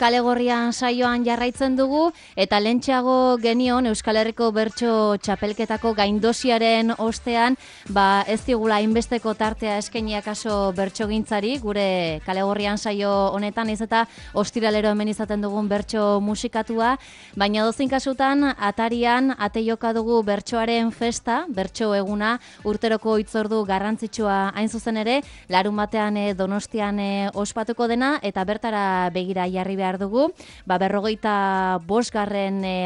Kale Gorrian saioan jarraitzen dugu eta lentxeago genion Euskal Herriko Bertso Txapelketako gaindosiaren ostean ez digula hainbesteko tartea eskainiak kaso bertsogintzari gure Kale Gorrian saio honetan ez eta ostiralero hemen izaten dugun bertso musikatua, baina dozein kasutan atarian ate joka dugu bertsoaren festa, bertso eguna urteroko hitzordu garrantzitsua hain zuzen ere, larun batean Donostian ospatuko dena eta bertara begira jarri behar dugu, 45.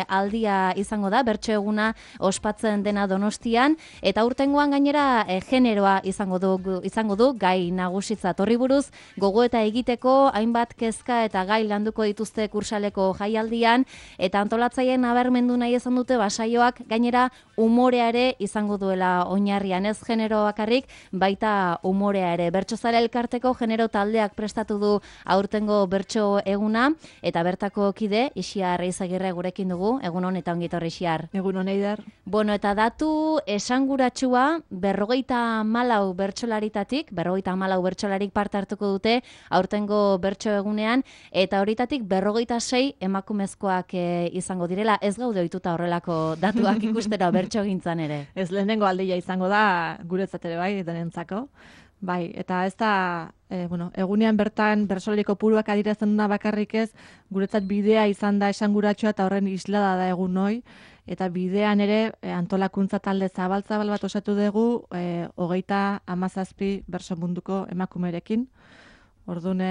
aldia izango da, bertso eguna ospatzen dena Donostian, eta urtengoan gainera generoa izango du gai nagusitzat. Horri buruz, gogoeta egiteko hainbat kezka eta gai landuko dituzte kursaleko jaialdian, eta antolatzaileen nabarmendu nahi izan dute saioak gainera umorea ere izango duela oinarrian, ez genero bakarrik, baita umorea ere. Bertsozale elkarteko genero taldeak prestatu du aurtengo bertso eguna, eta bertako kide, Ixiar Eizagirre gurekin dugu, egun hon eta ongitorri Ixiar. Egun hon Eider. Bueno, eta datu esanguratsua 54 bertsolaritatik, 54 bertsolarik parte hartuko dute aurtengo bertso egunean, eta horitatik 46 emakumezkoak izango direla, ez gaude ohituta horrelako datuak ikustera bertsogintzan ere. Ez lehenengo aldia izango da guretzat ere bai, denentzako. Bai, eta ez da, egunean bertan bertsolari kopuruak adierazten duna bakarrik ez, guretzat bidea izan da esanguratsua eta horren islada da egun hoi, eta bidean ere antolakuntza talde zabal bat osatu dugu, 37 bertso munduko emakumerekin. Orduan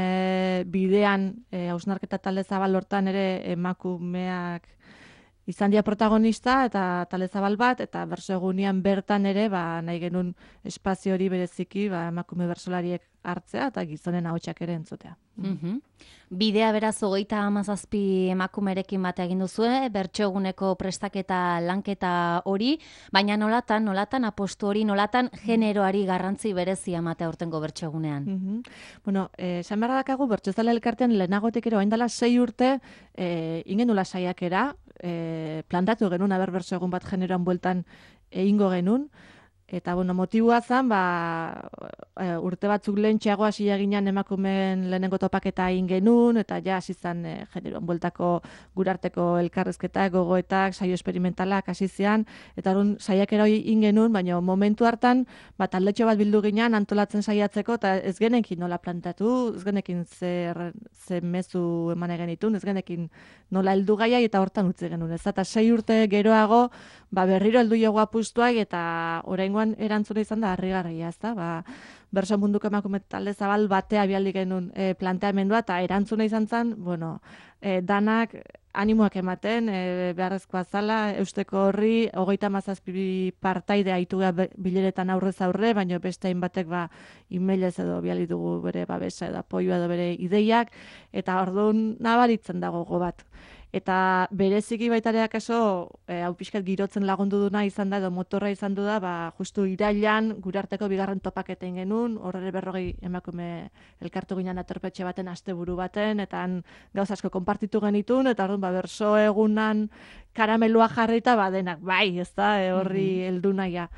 bidean hausnarketa talde zabal hortan ere emakumeak izan dira protagonista eta talde zabal bat, eta bertso egunean bertan ere nahi genuen espazio hori bereziki emakume bertsolariek hartzea eta gizonen ahotsak ere entzutea. Bidea beraz 37 emakumerekin bate egin duzue, bertso eguneko prestaketa lanketa hori, baina nolatan apostu hori, nolatan generoari garrantzi berezia ematea aurtengo bertso egunean. Esan behar dakagu, bertsozale elkartean lehenagotik ere oaindala 6 urte ingenula saiakera, plantatu genuen bertso egun bat generoan bueltan egingo genuen, eta motiboa zen, urte batzuk lehentxeago hasi eginan emakumeen lehenengo topaketa egin genuen, eta ja hasi zen generoan bueltako gurarteko elkarrezketak, gogoetak, saio esperimentalak hasi zian, eta orduan saiakera hori egin genuen, baina momentu hartan taldetxo bat bildu ginen antolatzen saiatzeko, eta ez genekin nola plantatu, ez genekin ze mezu eman genitun, ez genekin nola heldu gaiai, eta hortan utzi genuen. Ez eta 6 urte geroago, berriro heldu jogu apustuak, eta oraingoan erantzuna izan da harrigarria, ezta? Bertso munduko emakume talde zabal batea bialdi genuen planteamendua, eta erantzuna izan zen, danak animoak ematen, beharrezkoa zala, eusteko horri, 37 partaide aituga bileretan aurrez aurre, baina beste hainbatek emailez edo biali dugu bere babesa edo apoioa edo bere ideiak, eta orduan nabaritzen dago gogo bat. Eta bereziki baitareak hau pixkat girotzen lagundu duna izan da, edo motorra izan du da, justu irailan gurarteko bigarren topaketen genuen, horre 40 emakume elkartu ginen aterpetxe baten, asteburu baten, eta gauza asko konpartitu genitun, eta orduan berso egunan karamelua jarrita denak, ez da, horri heldu naia.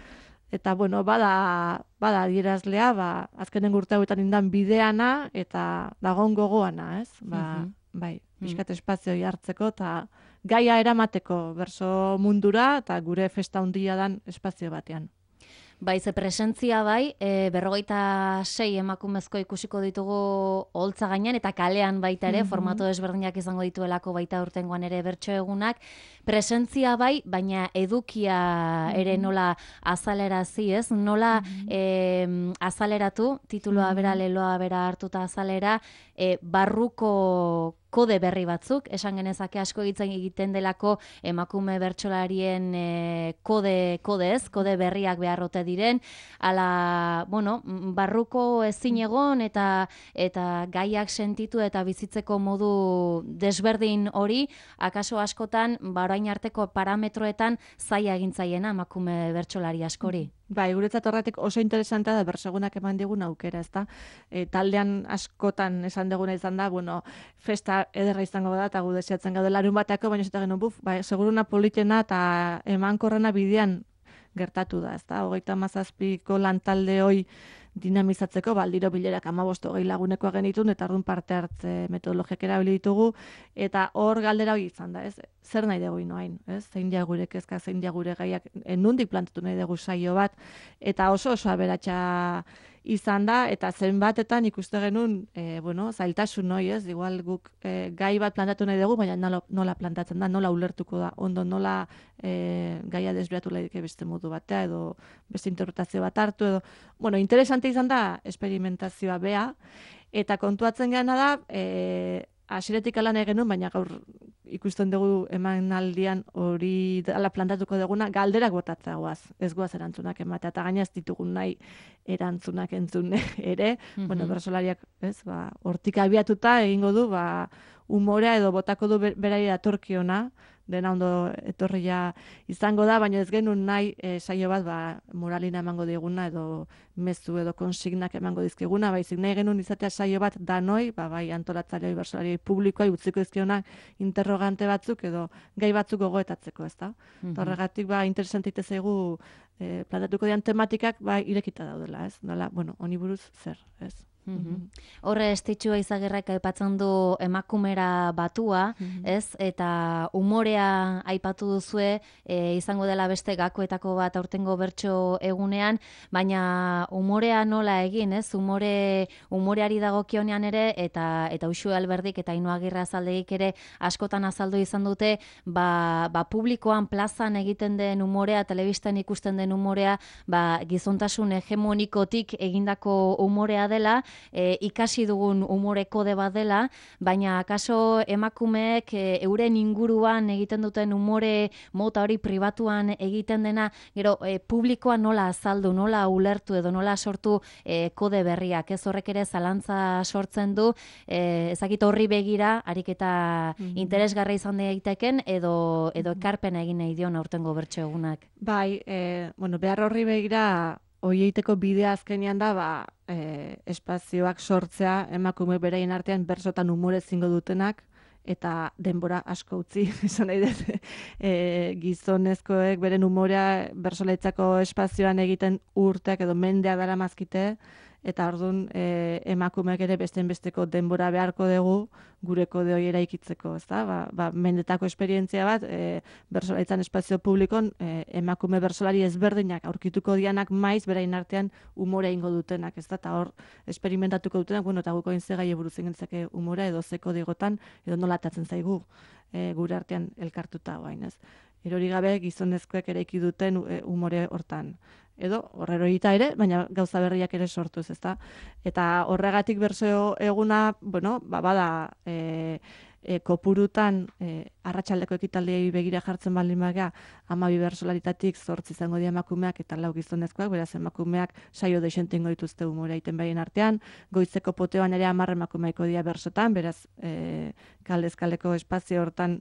Eta, bada adierazlea, azkenen urte hauetan indan bideana, eta dagon gogoana, ez? Piskat espazioi hartzeko eta gaia eramateko berso mundura eta gure festa handia dan espazio batean. Ze presentzia 46 emakumezko ikusiko ditugu holtza gainean eta kalean baita ere, formato desberdinak izango dituelako baita urtengoan ere bertso egunak. Presentzia baina edukia ere nola azalerazi, ez? Nola azaleratu, tituloa bera, leloa bera hartuta azalera, barruko kode berri batzuk, esan genezake asko egiten delako emakume bertsolarien kode berriak beharrote diren, barruko ezin egon eta gaiak sentitu eta bizitzeko modu desberdin hori, akaso askotan, orain arteko parametroetan zaila egintzaiena emakume bertsolari askori. Guretzat horretik oso interesantea da bersegunak eman digun aukera, ezta? Taldean askotan esan duguna izan da, festa ederra izango da, eta gu deseatzen gaude larun batako, baina eta genuen, seguruna politena eta emankorrena bidean gertatu da, ezta? 37ko lantalde hoi dinamizatzeko, baldiro bilerak 15-20 lagunekoa genitun, eta orduan parte hartze metodologiak erabili ditugu, eta hor galdera hori izan da, ez? Zer nahi dugu inoain, ez? Zein dia gure kezka, zein dia gure gaiak, nondik plantatu nahi dugu saio bat, eta oso aberatsa izan da, eta zenbatetan ikuste genuen, zailtasun noi, ez? Igual guk gai bat plantatu nahi dugu, baina nola plantatzen da, nola ulertuko da, ondo nola gaia desbiatu laike beste modu batea, edo beste interpretazio bat hartu, edo, interesante izan da esperimentazioa bea, eta kontuatzen gana da, hasieratik lan egin genuen, baina gaur ikusten dugu emanaldian hori dela plantatuko duguna, galderak botatzea goaz, ez goaz erantzunak ematea, eta gaina ez ditugun nahi erantzunak entzun ere, bersolariak, ez, hortik abiatuta egingo du, umorea edo botako du berari datorkiona, dena ondo etorria izango da, baina ez genuen nahi saio bat moralina emango diguna edo mezu edo konsignak emango dizkiguna, baizik nahi genuen izatea saio bat danoi, bai antolatzaileoi, bersolarioi publikoa utziko dizkionak interrogante batzuk edo gai batzuk gogoetatzeko, ezta? Horregatik interesante zaigu plantatuko dian tematikak irekita daudela, ez? Dela, honi buruz zer, ez? Horre Estitxu Eizagirrek aipatzen du emakumera batua, ez? Eta umorea aipatu duzue, izango dela beste gakoetako bat aurtengo bertso egunean, baina umorea nola egin, ez? Umoreari dagokionean ere, eta Uxue Alberdik eta Ainhoa Agirre-Azaldegik ere askotan azaldu izan dute, publikoan plazan egiten den umorea, telebistan ikusten den umorea, gizontasun hegemonikotik egindako umorea dela, ikasi dugun umore kode bat dela, baina akaso emakumeek euren inguruan egiten duten umore mota hori pribatuan egiten dena, gero publikoa nola azaldu, nola ulertu edo nola sortu kode berriak, ez horrek ere zalantza sortzen du, ezakit horri begira, ariketa interesgarra izan daiteken edo ekarpena egin nahi dion aurtengo bertso egunak. Bai, behar horri begira hoieiteko bidea azkenean da, espazioak sortzea emakume bereien artean bersotan umore zingo dutenak, eta denbora asko utzi, esan nahi dut, gizonezkoek beren umorea bersolaitzako espazioan egiten urteak edo mendea dara mazkite, eta orduan emakumeak ere besteko denbora beharko dugu gure kode hori eraikitzeko, ezta? Mendetako esperientzia bat, bersolaitzan espazio publikon, emakume bersolari ezberdinak aurkituko dianak maiz berain artean umore ingo dutenak, ezta? Eta hor, esperimentatuko dutenak, eta guko intzegai buruz ingentzake umora edo zeko digotan, edo nola atatzen zaigu gure artean elkartuta guain, ez? Erori gabe gizonezkoek eraiki duten umore hortan. Edo horrerorita ere, baina gauza berriak ere sortuz, ezta? Eta horregatik bertso eguna, bada kopurutan arratsaldeko ekitaldiei begira jartzen baldin baga, 12 bersolaritatik 8 izango dira emakumeak eta 4 gizonezkoak, beraz emakumeak saio dexente ingo dituzte umorea egiten baien artean, goizeko poteoan ere 10 emakumeiko dira bersotan, beraz kaldezkaleko espazio hortan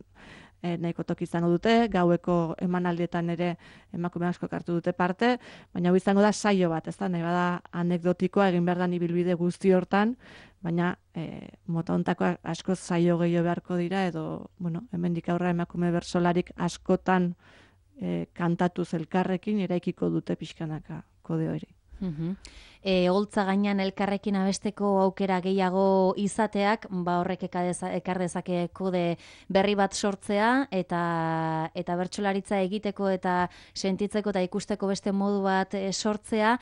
nahiko toki izango dute, gaueko emanaldietan ere emakume asko hartu dute parte, baina hau izango da saio bat, ez da, nahi bada anekdotikoa egin behar da ibilbide guzti hortan, baina mota hontakoa asko saio gehiago beharko dira, edo, hemendik aurra emakume bersolarik askotan kantatuz elkarrekin eraikiko dute pixkanaka kode hori. Holtza gainean elkarrekin abesteko aukera gehiago izateak, horrek ekar dezake kode berri bat sortzea eta bertsolaritza egiteko eta sentitzeko eta ikusteko beste modu bat sortzea.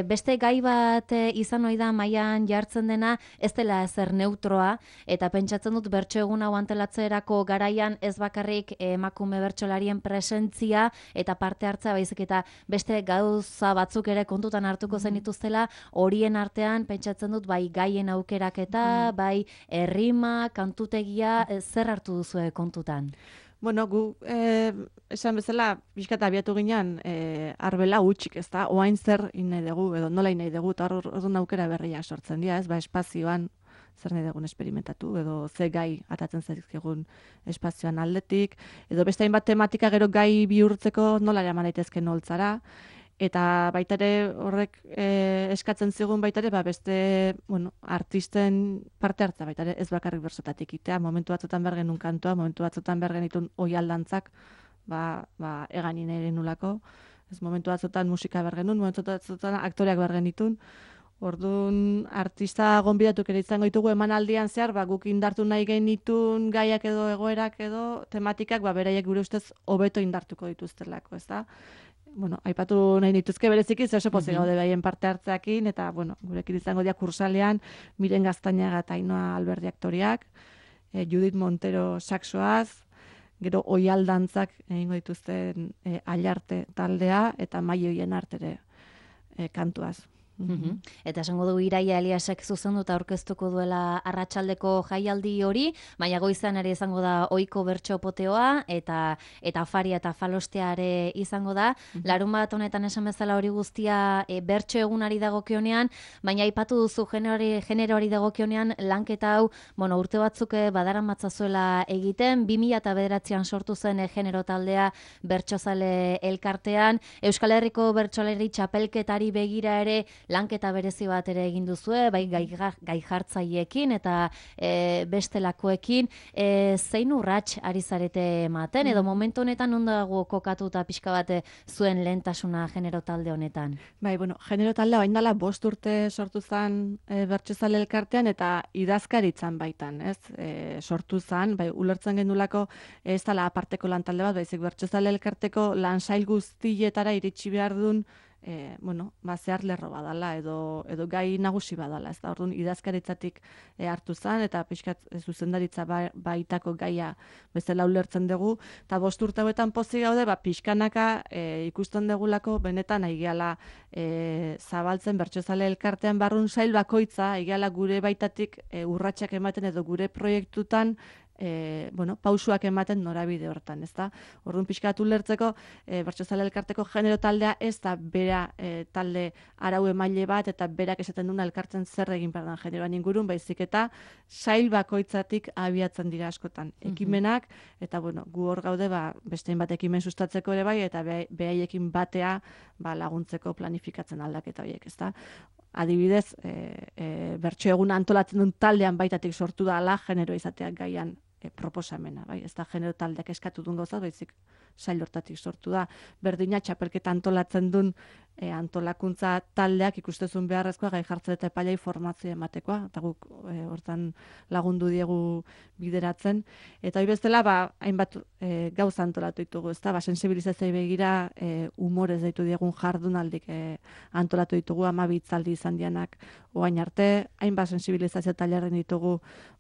Beste gai bat izan ohi da mailan jartzen dena, ez dela ezer neutroa, eta pentsatzen dut bertso egun hau antolatzerako garaian ez bakarrik emakume bertsolarien presentzia eta parte hartzea, baizik eta beste gauza batzuk ere kontutan hartuko zenituztela, horien artean pentsatzen dut bai gaien aukeraketa, bai errima, kantutegia, zer hartu duzu kontutan? Gu esan bezala pixkat abiatu ginean arbela hutsik, ez da, oain zer nahi dugu, edo nola nahi dugu, eta hor aukera berriak sortzen dira, ez, espazioan zer nahi dugun esperimentatu, edo ze gai atatzen zaizkigun espazioan aldetik, edo beste hainbat tematika gero gai bihurtzeko nola eraman daitezke holtzara, eta baita ere horrek eskatzen zigun baita ere beste artisten parte hartza baita ere ez bakarrik bersotatik itea, momentu batzutan behar genuen kantoa, momentu batzutan behar genitun oialdantzak eganin ere nulako, ez momentu batzutan musika behar genuen, momentu batzutan aktoreak behar genitun, Orduan, artista gonbidatuak ere izango ditugu emanaldian zehar, guk indartu nahi genitun gaiak edo egoerak edo tematikak, beraiek gure ustez hobeto indartuko dituztelako, ez da? Bueno, aipatu nahi nituzke bereziki, oso pozik gaude behaien parte hartzeakin, eta, gurekin izango dira kursalean, Miren Gaztañaga eta Ainhoa Alberdi aktoriak, Judith Montero saxoaz, gero oial dantzak egingo dituzten Ailarte taldea, eta Maioien artere kantuaz. Eta esango du Iraia Eliasek zuzenduta aurkeztuko duela arratsaldeko jaialdi hori, baina goizan ere izango da ohiko bertso poteoa eta afaria eta falostea ere izango da. Larunbat honetan esan bezala hori guztia bertso egunari dagokionean, baina aipatu duzu generoari dagokionean lanketa hau, urte batzuk badaramatzazuela egiten, 2009an sortu zen genero taldea bertsozale elkartean, Euskal Herriko bertsoleri txapelketari begira ere lanketa berezi bat ere egin duzue, bai gai jartzaileekin eta bestelakoekin, zein urrats ari zarete ematen, edo momentu honetan ondo dago kokatuta pixka bat zuen lehentasuna genero talde honetan? Bai, genero talde hain dela 5 urte sortu zen bertsozale elkartean eta idazkaritzan baitan, ez? Sortu zen, bai, ulertzen genulako ez dela aparteko lan talde bat, baizik bertsozale elkarteko lan sail guztietara iritsi behar duen zehar lerro badala edo gai nagusi badala, ez da, orduan idazkaritzatik hartu zen, eta pixkat zuzendaritza baitako gaia bezala ulertzen dugu, eta 5 urte hauetan pozik gaude, pixkanaka ikusten dugulako benetan aigeala zabaltzen bertsozale elkartean barrun sail bakoitza, aigeala gure baitatik urratsak ematen edo gure proiektutan pausuak ematen norabide hortan, ez da? Orduan pixkatu lertzeko, bertsozale elkarteko genero taldea ez da bera talde arau emaile bat, eta berak esaten duna elkartzen zer egin behar den generoan ingurun, baizik eta sail bakoitzatik abiatzen dira askotan. Ekimenak, eta gu hor gaude, bestein bat ekimen sustatzeko ere bai, eta behaiekin batea laguntzeko planifikatzen aldaketa horiek, ez da? Adibidez, bertso eguna antolatzen duen taldean baitatik sortu da ala genero izateak gaian proposamena, bai, ez da genero taldeak eskatu duen gauza, baizik sail hortatik sortu da. Berdina txapelketa antolatzen duen antolakuntza taldeak ikustezun beharrezkoa gai jartzen eta epailei formazioa ematekoa, eta guk hortan lagundu diegu bideratzen. Eta hori bestela, hainbat gauza antolatu ditugu, ez da, sensibilizazioa begira humorez deitu diegun jardunaldik antolatu ditugu, 12 hitzaldi izan dianak oain arte, hainbat sensibilizazio tailerren ditugu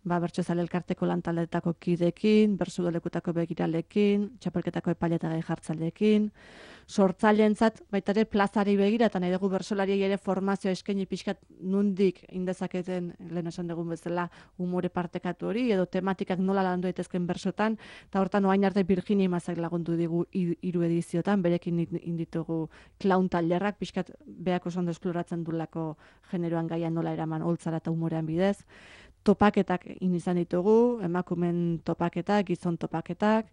bertsozale elkarteko lantaldetako kidekin, bertsolekutako begiralekin, txapelketako epaile eta gai jartzaileekin, sortzaileentzat baita ere plazari begira, eta nahi dugu bertsolariei ere formazioa eskaini pixkat nundik indezaketen, lehen esan dugun bezala, umore partekatu hori, edo tematikak nola landu daitezken bersotan, eta hortan oain arte Virginia Imazak lagundu digu 3 ediziotan, berekin inditugu klaun tailerrak, pixkat beak oso ondo esploratzen dulako generoan gaia nola eraman holtzara eta umorean bidez. Topaketak izan ditugu, emakumen topaketak, gizon topaketak,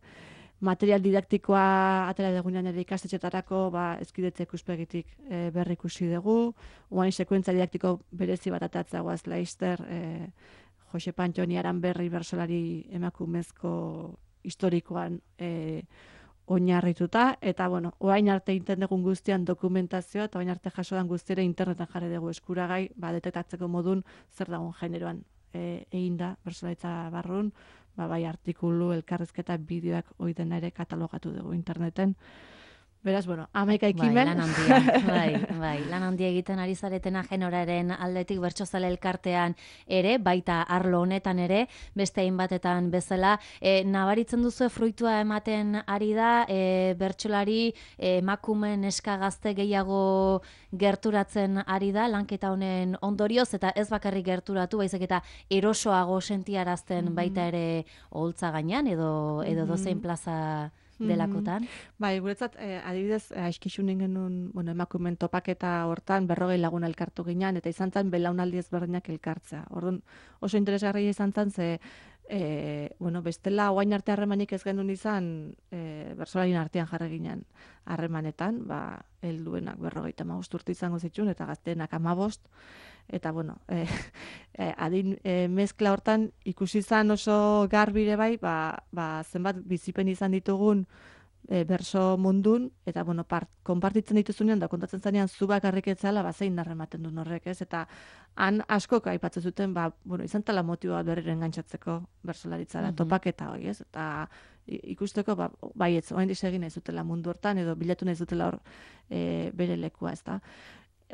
material didaktikoa atera dugunean ere ikastetxetarako ezkidetze ikuspegitik berri ikusi dugu, oain sekuentza didaktiko berezi bat atatzagoaz Leister, Jose Pantxoni Aranberri bersolari emakumezko historikoan oinarrituta, eta oain arte egiten dugun guztian dokumentazioa, eta oain arte jasoan guztiera internetan jarri dugu eskuragai, detektatzeko modun zer dagoen generoan egin da, bertsolaritza barrun, bai artikulu, elkarrizketa, bideoak oiden ere katalogatu dugu interneten. Beraz, 11 ekimen. Bai, lan handia egiten ari zaretena generoaren aldetik bertsozale elkartean ere, baita arlo honetan ere, beste hainbatetan bezala, nabaritzen duzu fruitua ematen ari da, bertsolari emakumen neska gazte gehiago gerturatzen ari da, lanketa honen ondorioz, eta ez bakarrik gerturatu, baizik eta erosoago sentiarazten baita ere oholtza gainean, edo dozein plaza delakotan. Bai, guretzat, adibidez, aizkixunen genuen, emakumen topaketa hortan 40 lagun elkartu ginean, eta izan zen belaunaldi ezberdinak elkartzea. Orduan, oso interesgarria izan zen, ze, bestela, oain arte harremanik ez genuen izan, bertsolarien artean jarri ginen harremanetan, helduenak 55 urte izango zituen, eta gazteenak 15, eta adin mezkla hortan ikusi izan oso garbire bai, zenbat bizipen izan ditugun berso mundun, eta, bueno, konpartitzen dituzunean, da kontatzen zanean, zu bakarrik etzala, zein narrematen duen horrek, ez? Eta han askok aipatzen zuten, bueno, izan tala motiboa berriren gantzatzeko bersolaritzara, topaketa hori, ez? Eta ikusteko, baietz, oain disegin nahi zutela mundu hortan, edo bilatu nahi zutela hor bere lekua, ez da?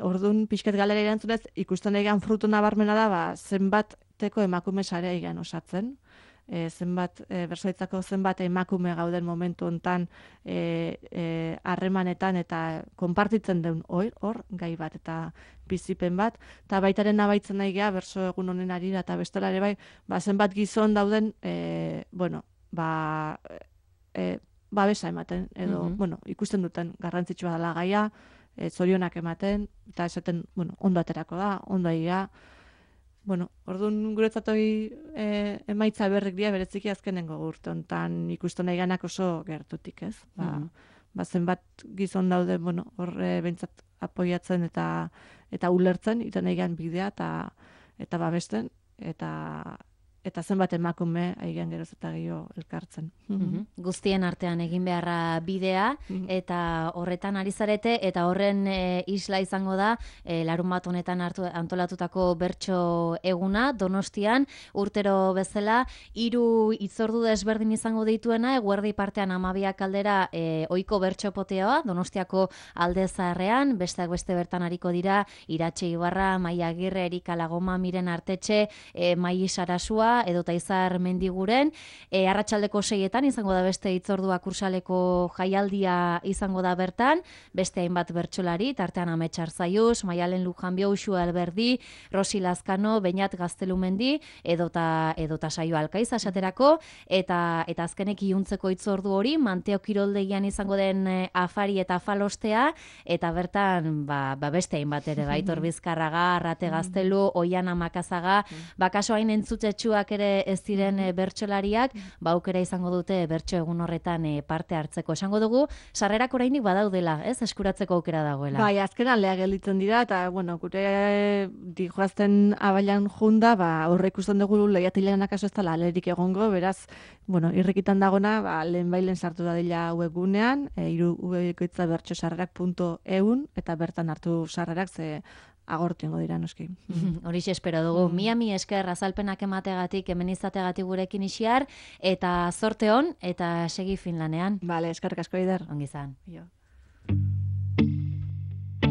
Orduan, pixket galera erantzunez, ikusten egan frutu nabarmena da, zenbateko emakume sarea egan osatzen, zenbat, bersoitzako zenbat emakume gauden momentu hontan harremanetan eta konpartitzen den hor, gai bat eta bizipen bat, eta baitaren nabaitzen nahi geha, berso egun honen arira eta bestela ere bai, zenbat gizon dauden, bueno, babesa ematen, edo, bueno, ikusten duten garrantzitsua dela gaia, zorionak ematen, eta esaten, bueno, ondo aterako da, ondo egia. Bueno, orduan guretzat hori emaitza berrik dira bereziki azkenengo urte hontan ikusten nahi ganak oso gertutik, ez? Zenbat gizon daude, bueno, horre bentsat apoiatzen eta ulertzen, iten nahi gan bidea eta babesten, eta zenbat emakume aigean geroz eta gehiago elkartzen. Guztien artean egin beharra bidea, eta horretan ari zarete, eta horren isla izango da, larun bat honetan antolatutako bertso eguna, Donostian, urtero bezala, 3 hitzordu desberdin izango dituena, eguerdi partean 12 aldera ohiko bertso poteoa, Donostiako alde zaharrean, besteak beste bertan ariko dira, Iratxe Ibarra, Maia Agirre, Erika Lagoma, Miren Artetxe, Mai Sarasua, edota Izar Mendiguren, arratsaldeko 6etan izango da beste hitzordua kursaleko jaialdia izango da bertan, beste hainbat bertsolari, tartean Amets Arzaius, Maialen Lujanbio, Uxu Alberdi, Rosi Lazkano, Beñat Gaztelumendi, edota Saio Alkaiz asaterako, eta azkenek iluntzeko hitzordu hori, Manteo Kiroldegian izango den afari eta afalostea, eta bertan beste hainbat ere, Aitor Bizkarraga, Arrate Gaztelu, Oiana Makazaga, kaso hain entzutetsuak ere ez diren bertsolariak, aukera izango dute bertso egun horretan parte hartzeko. Esango dugu, sarrerak orainik badaudela, ez? Eskuratzeko aukera dagoela. Bai, azkenan lea gelditzen dira, eta, bueno, gure dijoazten abailan junda, horre ikusten dugu lehiatilean akaso ez dela alerik egongo, beraz, bueno, irrikitan dagona, lehen bailen sartu da dela webgunean, irukoitza bertsosarrerak.eun, eta bertan hartu sarrerak ze agortuengo dira, noski. Horixe espero dugu. Mi esker azalpenak emategatik, hemen izategatik gurekin isiar, eta zorte on, eta segi Finlanean. Bale, eskerrik asko Eider. Ongi izan. Jo.